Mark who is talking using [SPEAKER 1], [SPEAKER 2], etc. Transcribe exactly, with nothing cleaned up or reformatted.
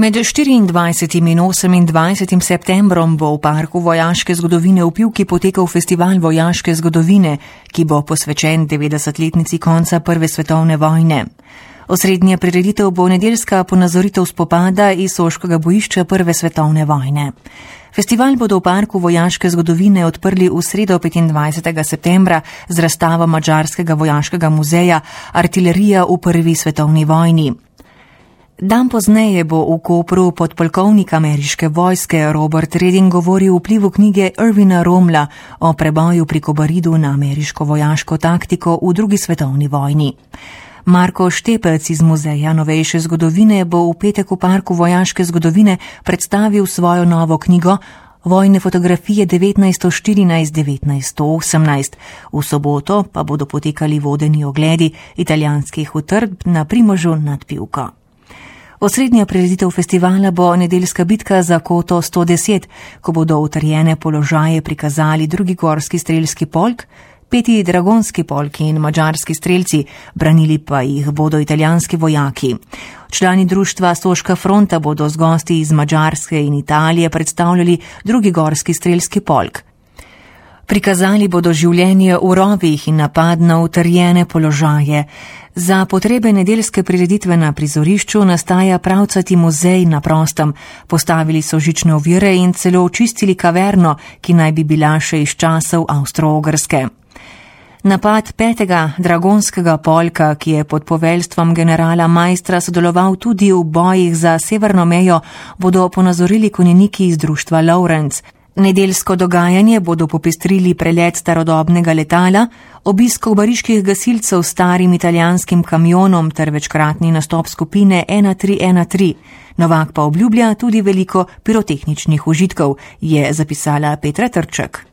[SPEAKER 1] Med štiriindvajsetim in osemindvajsetim septembrom bo v Parku vojaške zgodovine v Pivki potekal festival vojaške zgodovine, ki bo posvečen devetdesetletnici konca Prve svetovne vojne. Osrednja prireditev bo nedeljska ponazoritev spopada iz soškega bojišča Prve svetovne vojne. Festival bodo v Parku vojaške zgodovine odprli v sredo petindvajsetega septembra z razstavo Madžarskega vojaškega muzeja Artilerija v Prvi svetovni vojni. Dan pozneje bo v Kopru podpolkovnik ameriške vojske Robert Redding govoril o vplivu knjige Erwina Rommela o preboju pri Kobaridu na ameriško vojaško taktiko v drugi svetovni vojni. Marko Štepec iz Muzeja novejše zgodovine bo v petek v Parku vojaške zgodovine predstavil svojo novo knjigo Vojne fotografije devetnajststo štirinajst do devetnajststo osemnajst. V soboto pa bodo potekali vodeni ogledi italijanskih utrdb na Primožu nad Pivko. Osrednja prireditev festivala bo nedeljska bitka za koto sto deset, ko bodo utrjene položaje prikazali drugi gorski strelski polk, peti dragonski polki in madžarski strelci, branili pa jih bodo italijanski vojaki. Člani društva Soška fronta bodo z gosti iz Madžarske in Italije predstavljali drugi gorski strelski polk. Prikazali bodo življenje v rovih in napad na utrjene položaje. Za potrebe nedeljske prireditve na prizorišču nastaja pravcati muzej na prostem. Postavili so žične ovire in celo očistili kaverno, ki naj bi bila še iz časov Avstro-Ogrske. Napad petega dragonskega polka, ki je pod poveljstvom generala Majstra sodeloval tudi v bojih za severno mejo, bodo ponazorili konjeniki iz društva Lawrence. Nedeljsko dogajanje bodo popestrili prelet starodobnega letala, obisk kobariških gasilcev s starim italijanskim kamionom ter večkratni nastop skupine ena tri ena tri. Novak pa obljublja tudi veliko pirotehničnih užitkov, je zapisala Petra Trček.